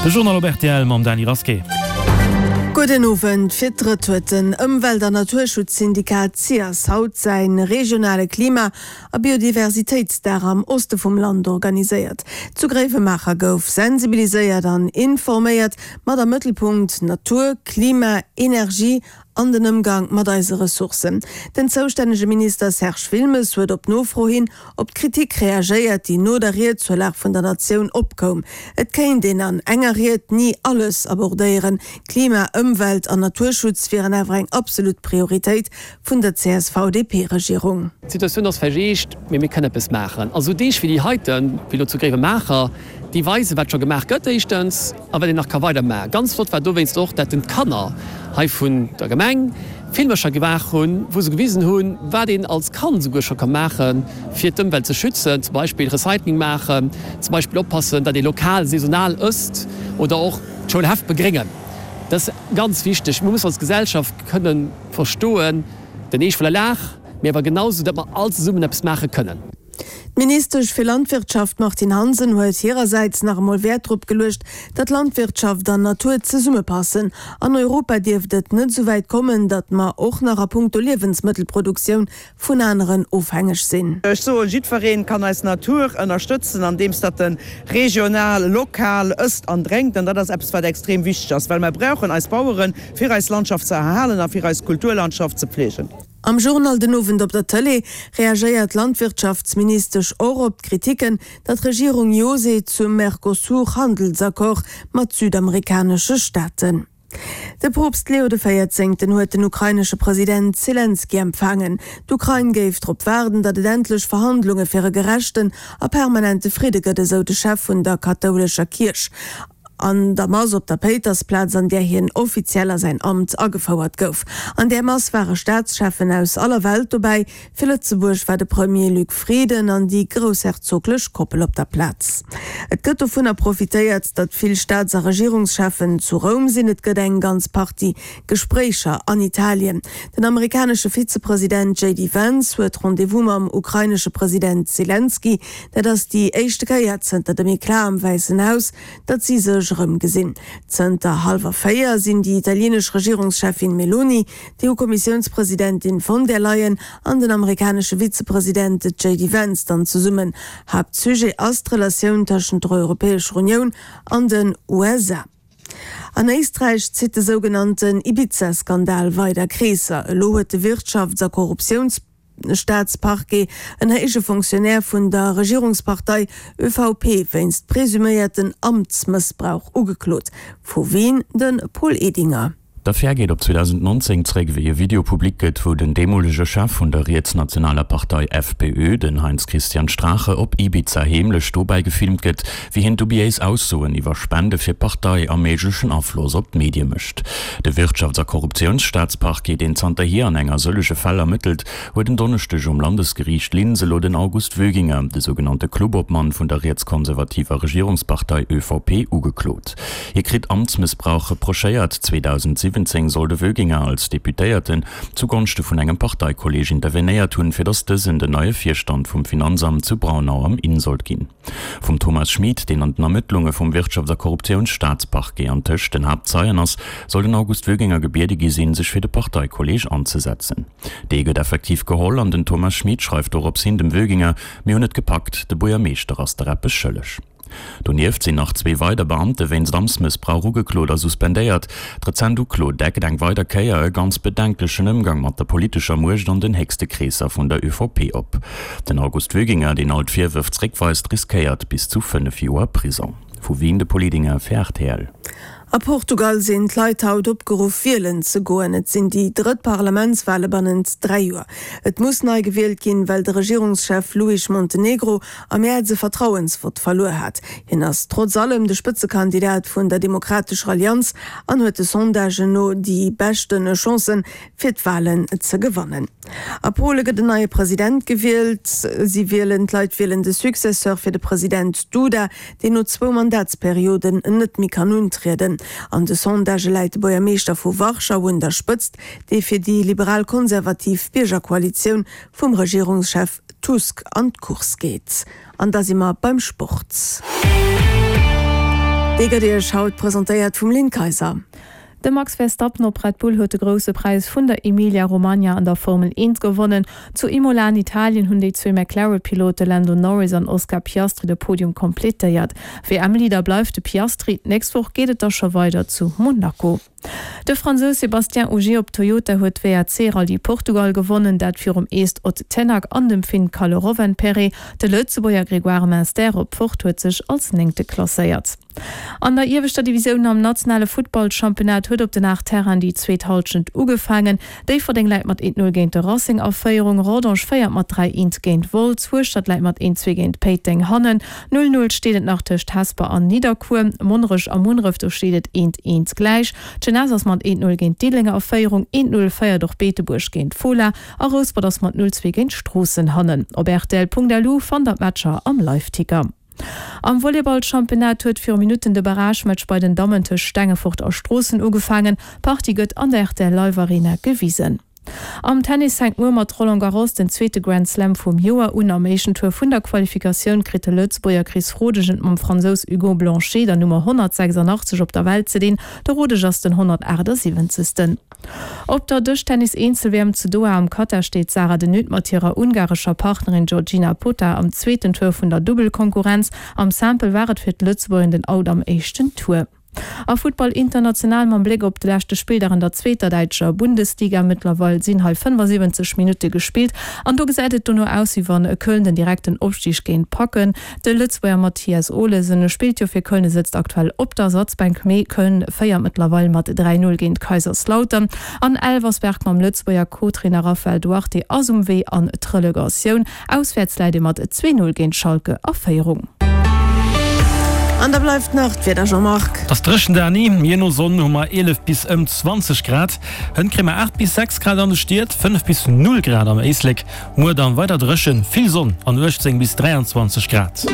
De Journal op rtl mam Dany Rasqué. Gudden Owend. Fir d'drëtt huet den Ëmwelt an Naturschutzsyndikat SIAS haut säi regionale Klima a Biodiversitéitsdag am Oste vum Land organiséiert. Zu Gréiwemaacher gouf sensibiliséiert an informéiert, mat am Mëttelpunkt Natur, Klima, Energie an den Ëmgang mat eise Ressourcen. Den zoustännege Minister Serge Wilmes huet op Nofro hin op d'Kritik reagéiert, déi no der Ried zur Lag vun der Natioun opkoum. Et kéint een an enger Ried ni alles abordéieren. Klima, Ëmwelt an Naturschutz wieren awer eng absolut Prioritéit vun der CSV-DP-Regierung. D'Situatioun ass vläicht eescht, mee mir kënnen eppes maachen. A sou Deeg wéi déi heiten, wéi elo zu Gréiwemaacher, déi weisen, wat scho gemaach gëtt éischtens a wat een nach ka weider maachen. Ganz flott war dowéinst och, dat den d'Kanner hei vun der Gemeng Filmercher gemaach hunn, wou se gewisen hunn, wat een als Kand esouguer scho ka maachen, fir d'Ëmwelt ze schützen, zum Beispill Recycling maachen, zum Beispill oppassen, datt ee lokal, saisonal ësst oder och d'Schoulhäff begréngen. Dat ass ganz wichteg. Mir mussen als Gesellschaft kënnen verstoen, den Eescht vun der Lag, mee awer genau sou, datt mer all zesummen eppes maache kënnen. D'Ministesch fir Landwirtschaft Martine Hansen huet hirersäits nach emol Wäert drop geluecht, datt Landwirtschaft an Natur zesummepassen. An Europa dierft et net esou wäit kommen, datt mer och nach a punkto Liewensmëttelproduktioun vun aneren ofhängeg sinn. Ech soen, jiddweree kann eis Natur ënnerstëtzen, andeems datt e regional, lokal ësst an drénkt. An dat ass eppes, wat extrem wichteg ass, well mer brauchen eis Baueren, fir eis Landschaft ze erhalen a fir eis Kulturlandschaft ze pflegen. Am Journal den Owend op der Tëlee reagéiert d'Landwirtschaftsministesch och op d'Kritiken, datt d'Regierung Jo seet zum Mercosur-Handelsaccord mat südamerikanesche Staaten. De Poopst Leo de Véierzéngten huet den ukrainesche President Selenskyj empfaangen. D'Ukrain géif drop waarden, datt et endlech Verhandlunge fir e gerechten a permanente Fridde gëtt, esou de Chef vun der kathoulescher Kierch. An der Mass op der Péitersplaz, an där hien offiziell a säin Amt agefouert gouf. An där Mass ware Staatscheffen aus aller Welt dobäi. Fir Lëtzebuerg war de Premier Luc Frieden an déi groussherzoglech Koppel op der Plaz. Et gëtt dovunner profitéiert, datt vill Staats a Regierungscheffen zu Roum sinn. Et gëtt eng ganz Partie Gespréicher an Italien. Den amerikanesche Vizepresident JD Vance huet Rendez-vous mam ukrainesche President Selenskyj. Dat ass déi éischte Kéier zënter dem Eclat am Wäissen Haus, datt si sech erëm gesinn. Zënter hallwer 4 sinn déi italienesch Regierungscheffin Meloni, d'EU-Kommissiounspresidentin von der Leyen an den amerikanesche Vizepresident JD Vance dann zesummen. Haaptsujet ass d'Relatioun tëschent der Europäescher Unioun an den USA. An Éisträich zitt de sougenannten Ibiza-Skandal weider Kreesser. Elo huet de Wirtschafts a Korruptiouns. Staatsparquet en héije Fonctionnaire vun der Regierungspartei ÖVP wéinst presuméierten Amtsmëssbrauch ugeklot. Vu Wien de Paul Edinger. D'Affär geet op 2019 zréck, wéi e Video public gëtt, wou den deemolege Chef vun der rietsnationaler Partei FPÖ, den Heinz-Christian Strache, op Ibiza heemlech dobäi gefilmt gëtt, wéi hien dubiéis Aussoen iwwer Spende fir d'Partei a méiglechen Afloss op d'Medie mécht. De Wirtschafts a Korruptiounsstaatsparquet, deen zanterhier an enger sëllege Fäll ermëttelt, huet en Donneschdeg um Landesgeriicht Linz elo den August Wöginger, de sougenannte Klubobmann vun der rietskonservativer Regierungspartei ÖVP, ugeklot. Hie kritt Amtsmëssbrauch reprochéiert. 2017 soll de Wöginger als Deputéierten zu Gonschte vun engem Parteikolleeg intervenéiert hunn, fir datt dësen den neie Virstand vum Finanzamt zu Braunau am Inn sollt ginn. Vum Thomas Schmid, deen an den Ermëttlunge vum Wirtschafts a Korruptiounsstaatsparquet antëscht den Haaptzeien ass, soll den August Wöginger gebiede gi sinn, sech fir de Parteikolleeg anzesetzen. Dee gëtt effektiv geholl an den Thomas Schmid schreift dorops hin dem Wöginger, Mir hunn et gepackt, de Buergermeeschter ass der eppes schëlleg. Donieft sinn nach zwee weider Beamte wéinst Amtsmëssbrauch ugeklot a suspendéiert. D'rezent Uklo deckt eng weider Kéier e ganz bedenklechen Ëmgang mat der politescher Muecht an den héchste Kreesser vun der ÖVP op. Den August Wöginger, deen all d'Virwërf zréckweist, riskéiert bis zu 5 Joer Prisong. Vu Wien de Paul Edinger fir rtl. A Portugal sinn d'Leit haut opgeruff wielen ze goen. Et sinn déi drëtt Parlamentswale bannent 3 Joer. Et muss nei gewielt ginn, well de Regierungschef Luís Montenegro am Mäerz e Vertrauensvott verluer hat. Hien ass trotz allem de Spëtzekandidat vun der Demokratescher Allianz an huet de Sondagen no déi beschte Chancen, fir d'Walen ze gewannen. A Pole gëtt en neie President gewielt. Si wielen, d'Leit wielen de Successeur fir de President Duda, deen no zwou Mandatsperioden net méi kann untrieden. An de Sondagë läit de Buergermeeschter vu Warschau un der Spëtzt, dee fir déi liberal-konservativ Biergerkoalitioun vum Regierungschef Tusk an d'Course geet. An da si mer beim Sport. Dee gëtt Iech haut presentéiert vum Lynn Kayser. De Max Verstappen op Red Bull huet de Grousse Präis vun der Emilia-Romagna an der Formel 1 gewonnen. Zu Imola an Italien hunn déi zwee McLaren-Pilote Lando Norris an Oscar Piastri de Podium kompletéiert. WM-Leader bleift de Piastri. D'nächst Woch geet et da scho weider zu Monaco. De Fransous Sébastien Ogier op Toyota huet d'WRC-Rallye Portugal gewonnen, dat virum Est Ott Tänak an dem Finn Kalle Rovanperä. De Lëtzebuerger Grégoire Munster op Ford huet sech als Néngte klasséiert. An der ieweschter Divisioun am nationale Futtballchampionnat huet op den 8 Terrainen déi zweet Hallschent ugefaangen. Déifferdeng läit mat 1, 0 géint de Racing a Féierung, Rodange féiert mat 3, 1 géint Wolz, Hueschtert läit mat 1, 2 géint Péiteng hannen. 0, 0 steet et nach tëscht Hesper an Nidderkuer. Monnerech a Munneref, do steet et 1, 1 gläich. D'Jeunesse ass mat 1, 0 géint Diddeleng a Féierung, 1, 0 féiert och Beetebuerg géint Fola a Rouspert ass mat 0, 2 géint Stroossen hannen. Op rtl.lu fannt der d'Matcher am Liveticker. Am Volleyball-Championnat huet viru Minutten de Barragematch bei den Dammen tëscht Stengefort a Stroossen ugefaangen. D'Partie gëtt an der rtl Live Arena gewisen. Am Tennis fänkt muer mat Roland Garros den zweete Grand Slam vum Joer un. Am éischten Tour vun der Qualifikatioun kritt de Lëtzebuerger Chris Rodesch et mam Fransous Hugo Blanchet, der Nummer 186 op der Welt, ze dinn. De Rodesch ass den 178. Op der Dëschtennis-Eenzel-WM zu Doha am Katar steet d'Sarah de Nutte mat hirer ungarescher Partnerin Georgina Pota am zweeten Tour vun der Dubbelkonkurrenz. Am Simple war et fir d'Lëtzebuergerin den Out am éischten Tour. A Futtball international mam Bléck op de leschte Spilldag an der zweeter däitscher Bundesliga. Mëttlerweil sinn hei 75 Minutte gespillt an do gesäit et dono aus, wéi wann Köln den direkten Opstig géint packen. De Lëtzebuerger Mathias Olesen spillt jo fir Köln, e sëtzt aktuell op der Ersatzbänk, mee Köln féiert mëttlerweil mat 3, 0 géint Kaiserslautern an Elversberg mam Lëtzebuerger Co-Trainer Raphael Duarte ass um Wee an d'Relegatioun. Auswäerts läit ee mat 2, 0 géint Schalke a Féierung. An da bleift nach d'Wieder, Jean-Marc. Et ass dréchen, Dani. Jee no Sonn hu mer 11 bis ëm 20 Grad. Hënt kréie mer 8 bis 6 Grad an de Stied, 5 bis 0 Grad am Éislek. Muer dann weider dréchen, vill Sonn an 18 bis 23 Grad.